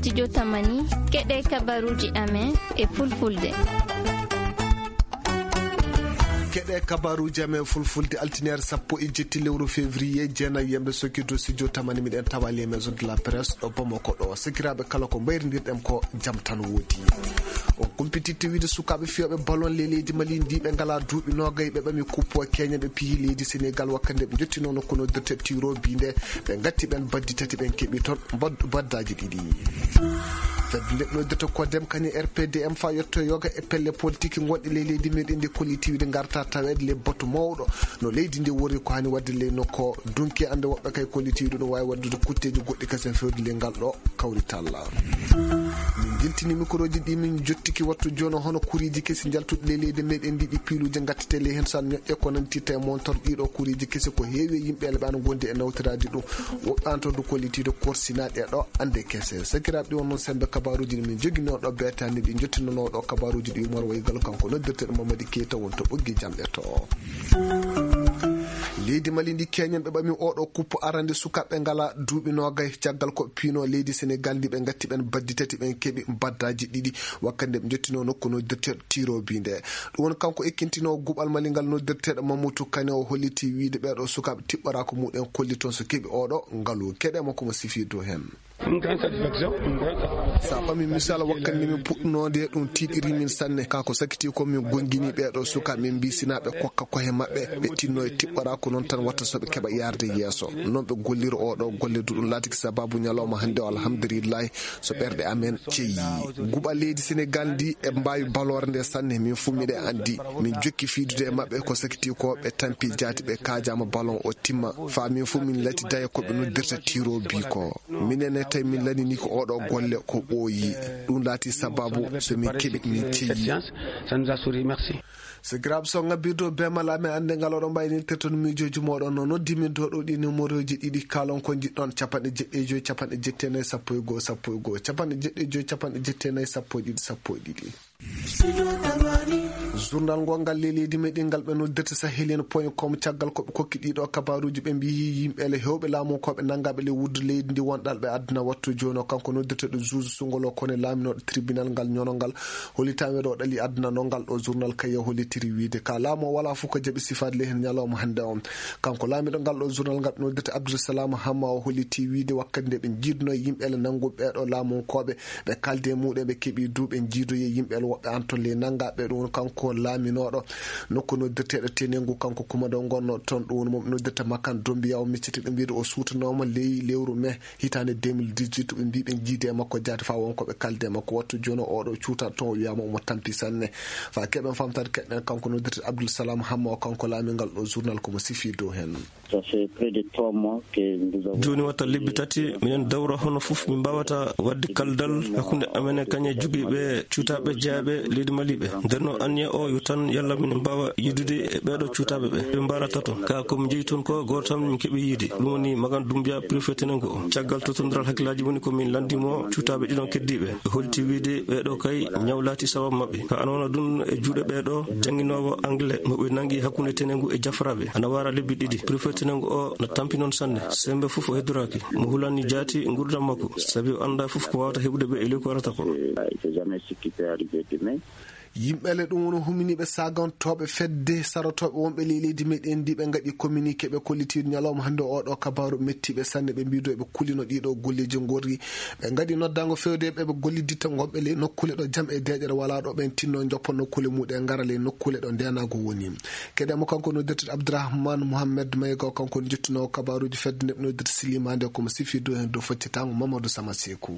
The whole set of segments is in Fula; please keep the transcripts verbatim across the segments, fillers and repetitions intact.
Studio Tamani, keɗe kabaruji amen e fulfulde. Keɗe kabaruji amen fulfulde, altiniere sappo e jetti lewru février, jeenayi yemɓe sokki dow studio Tamani, miɗen tawa les maisons de la presse ɗo Bamako ɗo. Sakiraaɓe, kala ko mbayrindirɗen ko jam tan woodi. On kumpititte wiide sukaaɓe fiyooɓe ballon le leydi Mali ndi, ɓe ngala duuɓi noogay, ɓe ɓami kuppo keña, ɓe piyi leydi Sénégal, wakkande ɓe jottino nokku noddirte tiro bi nde, ɓe ngatti ɓen baddi tati, ɓen keɓi toon mbad-, baddaaji ɗiɗi. Fedde nde noddirta ko dem kañum R P D M fa yetto yoga e pelle politique gonɗe ley leydi meɗen ndi, kollitiiwde ngarta taweede le batu mawɗo no leydi ndi woni ko hani wadde le nokko dunki ande woɓɓe kay kollitiiwde no waawi waddude kutteeji goɗɗi kasen fewde le ngal ɗo kawrital. Min jiltini mikroji ɗi, min jottiki wattu jono hono kuriiji kesi jaltuɗi ley leydi meɗen ndi, ɗi piiluji ngattete ley hen san ñoƴƴe ko nantirta e montor ɗiɗo kuriiji kesi ko heewi e yimɓe ele ɓe ana gondi e nawtiraji ɗum. Woɓɓe antordu kollitiiwde korsinaaɗe ɗo ande kese. Sakiraaɓe, ɗi wonno sembe kabaruji ɗi min jogino ɗo beetani ɗi jottinono ɗo kabaruji ɗi Umar Waygal kanko noddirteɗo Mamadi Keita wonto ɓoggi jamɗe to. Leydi Mali ndi keñen ɓe ɓami oɗo kuppo arande sukaaɓe ngala duuɓi noogay caggal ko piino leydi Sénégal ndi ɓe ngatti ɓen baddi tati ɓen keɓi baddaji ɗiɗi wakkande ɓe jottino nokku noddirteɗo tiro bi nde. Ɗum woni kanko ekkintino guɓal Mali ngal noddirteɗo Mamadou Kane o holliti wiide ɓeɗo sukaaɓe tiɓɓorako muɗen kolli toon so keɓi oɗo ngalu. Keɗe makko mo sifi dow hen. Une grande satisfaction, une grande satisfaction. Sa ɓami misal wakkati nde min puɗɗunode ɗum tiiɗiri min sanne. Ka ko sakiti ko min gongini ɓeɗo suka min mbi sina ɓe kokka kohe maɓɓe ɓe tinno e tiɓɓora ko noon tan watta so ɓe keɓa yarde yeeso. Noon ɓe gollira oɗo golle duɗum laatiki sababu ñalawma hannde o alhamdulillahi so ɓerɗe amen ceyi. Guɓa leydi Sénégal ndi e mbawi balore nde sanne min fu miɗe andi. Min jokki fiidude e maɓɓe ko sakiti ko ɓe tampi jaati ɓe kajama ballon o timma. Fa min fu min lati daye ko ɓe noddirta tiro bi ko. Minen ne tawi min lanini ko oɗo golle ko ɓooyi. Ɗum laati sababu so min keɓi min ceyi. Ça nous a souri, merci. Sakiraaɓe, so ngabbirde o be mala amen annde ngal oɗon mbawi nirtirton miijoji moɗon no noddi min to ɗo ɗi numéroji ɗiɗi kalon ko jiɗɗon capanɗe jeɗɗi e joyi capanɗe jetti e nayi sappo e goho sappo e goho capanɗe jeɗɗi e joyi capanɗe jetti e nayi sappo e ɗiɗi sappo e ɗiɗi. Journal ngo ngal le leydi meɗen ngal ɓe noddirta sahelian point com caggal ko ɓe kokki ɗiɗo kabaruji ɓe mbiyi yimɓe le hewɓe laamu ko ɓe nangaɓe le wuddu leydi ndi wonɗal ɓe adduna wattu jono kanko noddirta ɗo juge sungolo kone laaminoɗo tribunal ngal ñono ngal holitami ɗo ɗali adduna no ngal ɗo journal kayya holitiri wiide ka laamu o wala fof ko jaɓi sifaade le hen ñalawma hannde on. Kanko laamiɗo ngal ɗo journal ngal ɓe noddirta Abdoul Salam Hamma o holliti wiide wakkati nde ɓe jiiduno yimɓe le nannguɓe ɓeɗo laamunkoɓe ɓe kalde muɗum ɓe keɓi duuɓe jiidoye yimɓe woɓɓe an to ley nanngaɓe ɗum kanko laaminoɗo nokku noddirteɗo tenengu kanko kumado gonno toon ɗum woni mo ɓe noddirta makkan dombiya o micciti ɗum wiide o suutanoma ley lewru mai hitande deux mille dix-huit ɓe mbi ɓe jiide makko jaati fa wonko ɓe kalde makko wattu jono oɗo cuuta toon o wiyama omo tampi sanne. Fa keɓen famtade keɗɗen kanko noddirte Abdoul Salam Hamma o kanko laamingal ɗo journal komo sifi dow hen. Ça fait près de trois mois que nous avons jooni watta lebbi tati minen dawra hono fof min mbawata wadde kaldal hakkunde amen e kañe jogiiɓe cuutaaɓe jeyaaɓe leydi Mali ɓe. Nder no anniya o yo tan yalla min mbaawa yiidude e ɓeeɗo cuutaaɓe ɓe. Ɓe mbarata toon ka ko min njeyi toon ko gooto tan min keɓi yiide ɗum woni Magan Dumbiya préfet tenengo o. Caggal totondiral hakkillaaji woni ko min lanndimo cuutaaɓe ɗiɗon keddiiɓe. Ɓe holti wiide ɓeeɗo kay ñaw laati sababu maɓɓe ka ana wona ɗum e juuɗe ɓeeɗo jannginoowo anglais mo ɓe nanngi hakkunde tenengu e jafraaɓe ana wara lebbi ɗiɗi. Préfet tenengu o na tampi noon sanne. Sembe fof o heddoraaki mo hulani jaati nguurdam makko sabi o annda fof ko wawata heɓude ɓe e leydi ko arata ko. Yimɓe le ɗum woni huminiiɓe sagantoɓe fedde sarotoɓe wonɓe ley leydi meɗen ndi ɓe ngaɗi communiqué ɓe kollitiiɗo ñalawma hannde oɗo kabaru mettiɓe sanne ɓe mbiido ɓe kulino ɗiɗo golleji gorri. Ɓe ngaɗi noddango fewde ɓe ɓe golliditta gonɓe ley nokkule ɗo jam e deƴere wala ɗo ɓen tinno joppa nokkule muɗe ngara ley nokkule ɗo ndenago woni. Keɗe mo kanko noddirteɗo Abdourahmane Mohamed Mayga o kanko jottinowo kabaruji fedde nde ɓe noddirta Silima nde komo sifi dow hen dow faccitango Mamadou Sama Sekou.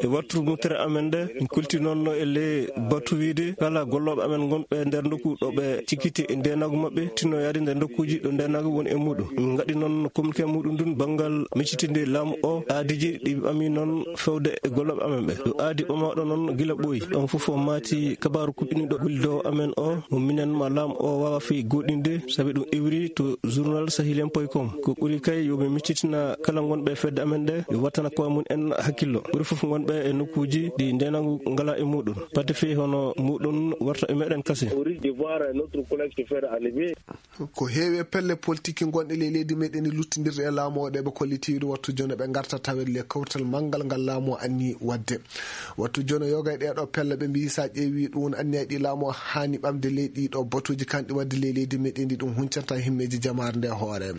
E wattu mutere amen nde en kulti noon no e ley batu wiide kala gollooɓe amen ngonɓe nder nokku ɗo ɓe cikkiti e ndenagu maɓɓe tinno yaade nder nokkuji ɗo ndenagu woni e muɗum. Ngaɗi noon communiqué muɗum ndun banngal miccitinde laamu o aadiji ɗi ɓami noon fewde e gollooɓe amen ɓe ɗo aadi ɓamaaɗo noon gila ɓooyi. Ɗon fof o maati kabaru kuɓɓiniɗo gollidowo amen o mo minen ma laamu o wawa fi goɗɗinde sabi ɗum iwri to journal sahilien point com. Ko ɓuri kay yoɓe miccitina kala gonɓe fedde amen nde yo wattana koye mum en hakkillo ɓuri fof gonɓe e nokkuji ɗi ndenagu ngala e muɗum. Pati fii hono muɗum warta e meɗen kasin. Au risque de voir un autre collègue se faire enlever. Ko heewi e pelle politiki gonɗe ley leydi meɗen ɗi luttindirɗe e laamu o, ɗe ɓe kollitiiɗo wattu jono ɓe ngarta tawede le kawtal manngal ngal laamu o anni waɗde. Wattu jono yoga e ɗee ɗoo pelle ɓe mbiyi, so a ƴeewi ɗum anniya ɗi laamu o haani ɓamde ley ɗii ɗoo batuuji kanɗi waɗde ley leydi meɗen ɗi, ɗum huncanta himmeeji jamaare nde hoore.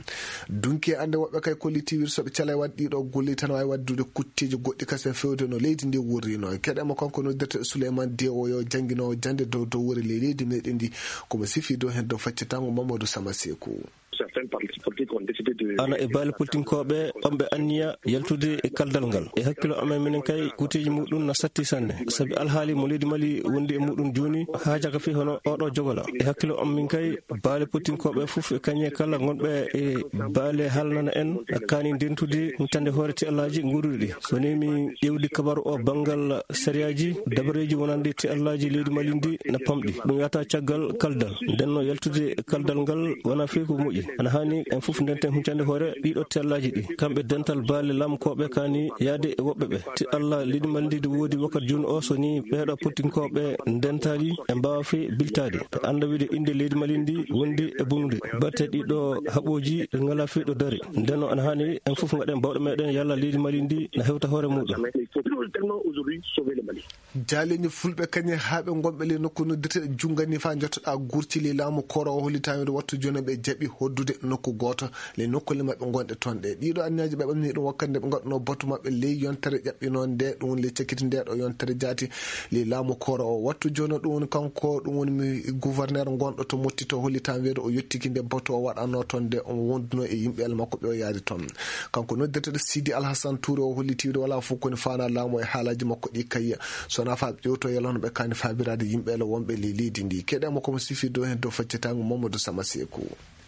Dunki e annde woɓɓe kay kollitiiɗo so ɓe calay waɗde ɗii ɗoo golli tan waawi waɗdude kutteeji goɗɗi kasen fewde no leydi ndi wurrino. Keɗe mo kanko noddirte Souleymane Dewo yo jannginoowo jannde dow dow wure ley leydi meɗen ndi, komo sifi dow heen dow faccitango Mamadou Sama Seku. Certains partis politiques ont décidé de ana e baali politinkooɓe ɓamɓe anniya yaltude e kaldal ngal. E hakkilo amen minen kay, kuteeji muɗum na satti sanne. Sabi alhaali mo leydi Mali wondi e muɗum jooni, haajaka fii hono oɗo jogola. E hakkilo am min kay, baali politinkooɓe fof e kañe kala gonɓe e baali haalnana en, kaani ndentude huntande hoore ti Allaaji nguuruɗi ɗi. So ni mi ƴeewdi kabaru o banngal sariyaaji, dabareeji wonande ti Allaaji leydi Mali ndi na pamɗi. Ɗum yahata caggal kaldal. Nden no yaltude kaldal ngal wona fii ko moƴƴi. Ana haani en fof ndenten huncande hoore ɗiɗo tellaaji ɗi. Kamɓe dental baale lamkooɓe kaani yaade e woɓɓe ɓe. Ti Allah leydi Mali ndi woodi wakkati jooni o, so ni ɓeeɗo politinkooɓe ndentaali, ɓe mbaawa fii biltaade. Ɓe annda wiide innde leydi Mali ndi wondi e bonude. Batte ɗiɗo haɓooji ɗi ngalaa fii ɗo dari. Nden no ana haani en fof ngaɗen bawɗe meɗen yalla leydi Mali ndi na hewta hoore muɗum. Jaaleeji fulɓe kañe haa ɓe ngonɓe ley nokku noddirteɗo Jungani faa njottoɗaa gurti ley laamu kooroowo hollitaango wattu jooni ɓe jaɓi hoddude nokku gooto ley nokkuule maɓɓe ngonɗe toon ɗe. Ɗiɗo anniyaji ɓe ɓamni ɗum wakkati nde ɓe ngaɗuno batu maɓɓe ley yontere ƴaɓɓinoonde ɗum woni ley cakkiti nde ɗo yontere jaati ley laamu kooroowo wattu jooni ɗum woni kanko ɗum woni mi gouverneur ngonɗo to Motti to hollitaango weedo o yettiki nde batu o waɗanno toon nde on wonduno e yimɓe el makko ɓe o yaari toon. Kanko noddirteɗo Sidi Alhassan Touré o holliti wiide wala fof koni faana laamu e haalaji makko ɗi kayya. Sona faa ƴewto yalano ɓe kaani faabiraade yimɓe ele wonɓe ley leydi ndi. Keɗe mo komo sifi dow heen dow faccitango Mamadou Sama Seku.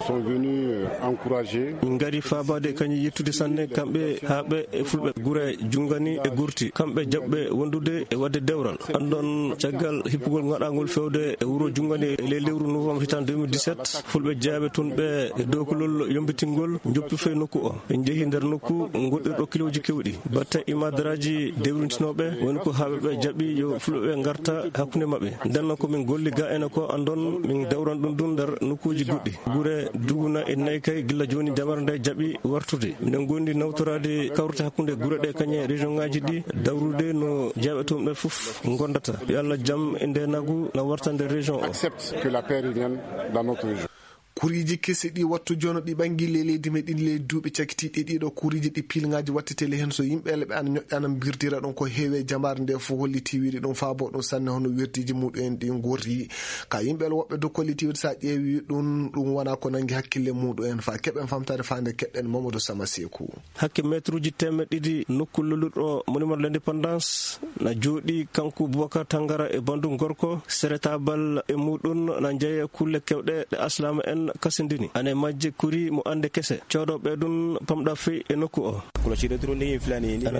Sont venus, euh, encourager. Min ngari faabaade e kañum yettude sanne kamɓe haa ɓe e fulɓe gure Jungani e Gurti. Kamɓe jaɓɓe wondude e waɗde dewral. Anndon caggal hippugol ngaɗangol fewde e wuro Jungani e ley lewru novembre hitaan deux mille dix-sept, fulɓe jeyaaɓe toon ɓe e dow kulol yombitingol njoppi fee nokku o. Ɓe njehi nder nokku ngoɗɗirɗo kilooji kewɗi. Batte imadaraaji dewrintinooɓe woni ko haaɓe ɓe jaɓi yo fulɓe ɓe ngarta hakkunde maɓɓe. Nden noon ko min golli ga ene ko anndon min dewran ɗum ɗum nder nokkuuji goɗɗi. Gure Duguna e Naykay gila jooni jamare nde jaɓi wartude. Minen ngondi nawtoraade kawrute hakkunde gure ɗe kañe région ngaji ɗi dawrude no jeyaaɓe toon ɓe fof ngondata. Yo Allah jam e nde nagu na warta nder région o. Accepte que la paix revienne dans notre région. Kuriiji kesi ɗi wattu jono ɗi ɓangi ley leydi meɗen ley duuɓi cakitiiɗi ɗiɗo kuriiji ɗi pilngaaji wattiteli heen so yimɓe ele ɓe ana ñoƴƴana mbirdira ɗum ko heewi e jamaare nde fof holliti wiide ɗum faabo ɗum sanne hono wirdiiji muɗum en ɗi ngorri. Ka yimɓe ele woɓɓe do kolliti wiide so a ƴeewi ɗum, ɗum wona ko nangi hakkille muɗum en fa keɓen famtare faande keɗɗen Mamadou Sama Seku. Hakke meetruuji teemeɗɗe ɗiɗi nokku lullirɗo Monument de l'Indépendance na jooɗi kanko Boubacar Tangara e banndum gorko, sere taabal e muɗum na njeya kulle kewɗe ɗe alsilaama en kasindini. Ana e majje kuri mo annde kese, coodooɓe ɗum pamɗa fii e nokku o. Ana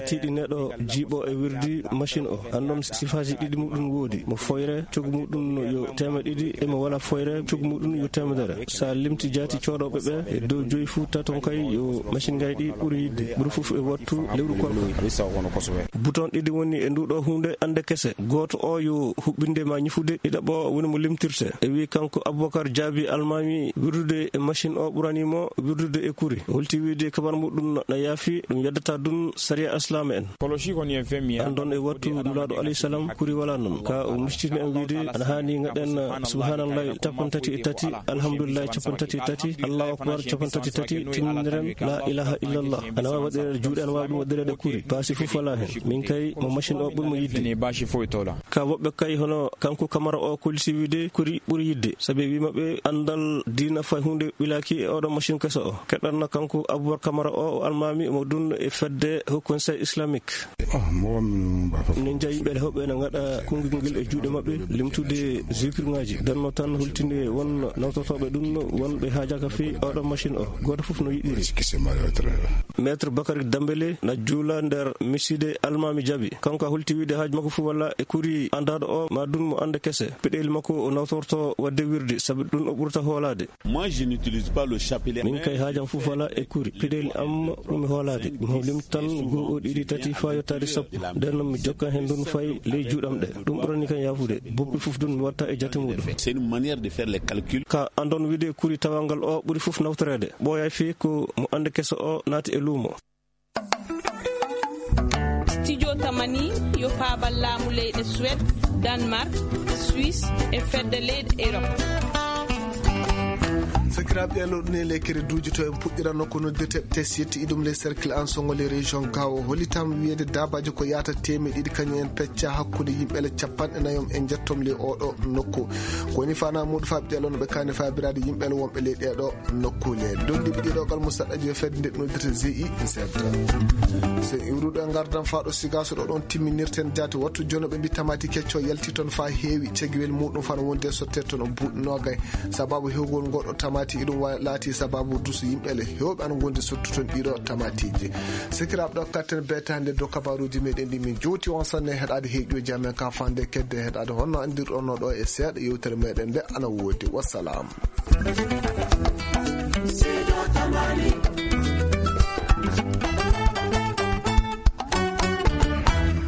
tiiɗi neɗɗo jiiɓo e wirdi machine o. Anndon sifaaji ɗiɗi muɗum woodi, mo foyre, cogu muɗum yo teemeɗɗe ɗiɗi, e mo wala foyre, cogu muɗum yo teemedere. Sa limti jaati coodooɓe ɓe, e dow joyi fuu taton kay yo machine ngaji ɗi ɓuri yidde. Ɓuri fof e wattu lewru kono. Bouton ɗiɗi woni e nduɗo huunde annde kese. Gooto o yo huɓɓinde ma ñifude, ɗiɗaɓo woni mo limtirte. E wi kanko Aboubacar Jaabi Almaami, wirdude e machine o ɓurani mo wirdude e kuri. Holti wiide kabar muɗum na yaafi, ɗum yeddata ɗum sariya Islaam en. Anndon e wattu Nulaaɗo alayhi salam kuri wala noon. Ka o mistini en wiide ana haani ngaɗen subhanallahi capanɗe tati e tati, alhamdulillahi capanɗe tati e tati, Allahu akbar capanɗe tati e tati, timminiren la ilaha illallah. Ana waawi waɗireede juuɗe, ana waawi ɗum waɗireede kuri. Baasi fof wala heen. Min kay mo machine o ɓuri mo yidde. Ka woɓɓe kay hono kanko Kamara o kolliti wiide kuri ɓuri yidde. Sabi wi maɓɓe anndal diina fay huunde ɓilaaki e oɗo machine keso o. Keɗanno kanko Aboubacar Kamara o, o almaami mo ɗum e fedde Haut Conseil Islamique. Minen njeyi yimɓe hewɓe ene ngaɗa konngol ngel e juuɗe maɓɓe, limtude zikirŋaaji. Nden no tan holtinde won nawtotooɓe ɗum, wonɓe haajaka fii oɗo machine o. Gooto fof no yiɗiri. Maître Bakary Dembélé na juula nder miside Almaami Jaabi. Kanko a holti wiide haaju makko fof walla e kuri anndaaɗo o, ma ɗum mo annde kese. Peɗeeli makko o nawtorto waɗde wirdi, sabi ɗum o ɓurata hoolaade. Moi, je n'utilise pas le chapelet. Min kay haajam fof alaa e kuri. Peɗeeli am ɓuri mi hoolaade. Mi hoolim tan goo, ɗiɗi, tati, faa yottaade sappo. Nden noon mi jokka heen ɗum fay ley juuɗam ɗe. Ɗum ɓurani kan yaafude. Boppi fof ɗum mi watta e jate muɗum. C'est une manière de faire les calculs. Ka anndon wiide kuri tawangal o ɓuri fof nawtoreede. Ɓooyaay fii ko mo annde keso o naati e luumo. Studio Tamani yo paabal laamu leyɗe Suède, Danemark, Suisse e fedde leyɗe Europe. Sakiraaɓe, ɗee ɗoo ɗum e lekkere duuji to en puɗɗiranno ko noddirte test yetti iɗum les cercles en songo les régions gawo hollitam wiyeede daabaaji ko yaata teemeɗe ɗiɗi kañum en pecca hakkunde yimɓe le capanɗe nayo e njettom le oɗo nokku. Ko woni fana muuɗo faaɓi ɗee ɗoo no ɓe kaani faabiraade yimɓe le wonɓe le ɗee ɗoo nokkuule. Donndi ɓe ɗiɗo gal musaɗɗaji yo fedde nde noddirte G I Z. So iwruɗo e ngardan faaɗo sigaaso ɗo ɗon timminirten jaati wattu jono ɓe mbi tamaati kecco yalti toon faa heewi cegiwel muɗum fana wonde sotte toon buuɗi noogay. Sababu hewgol ngoɗo tamaati iɗum wa- laati sababu dusu yimɓe le hewɓe ana gondi sottu toon ɗiɗo tamaatiji. Sikiraaɓe ɗo katten betaande do kabaruuji meɗen ɗi min jowti on sanne heɗaade heeƴuji amen ka fande kedde heɗaade honno andirɗon no ɗo e seeɗa yewtere meɗen nde ana woodi. Wassalam.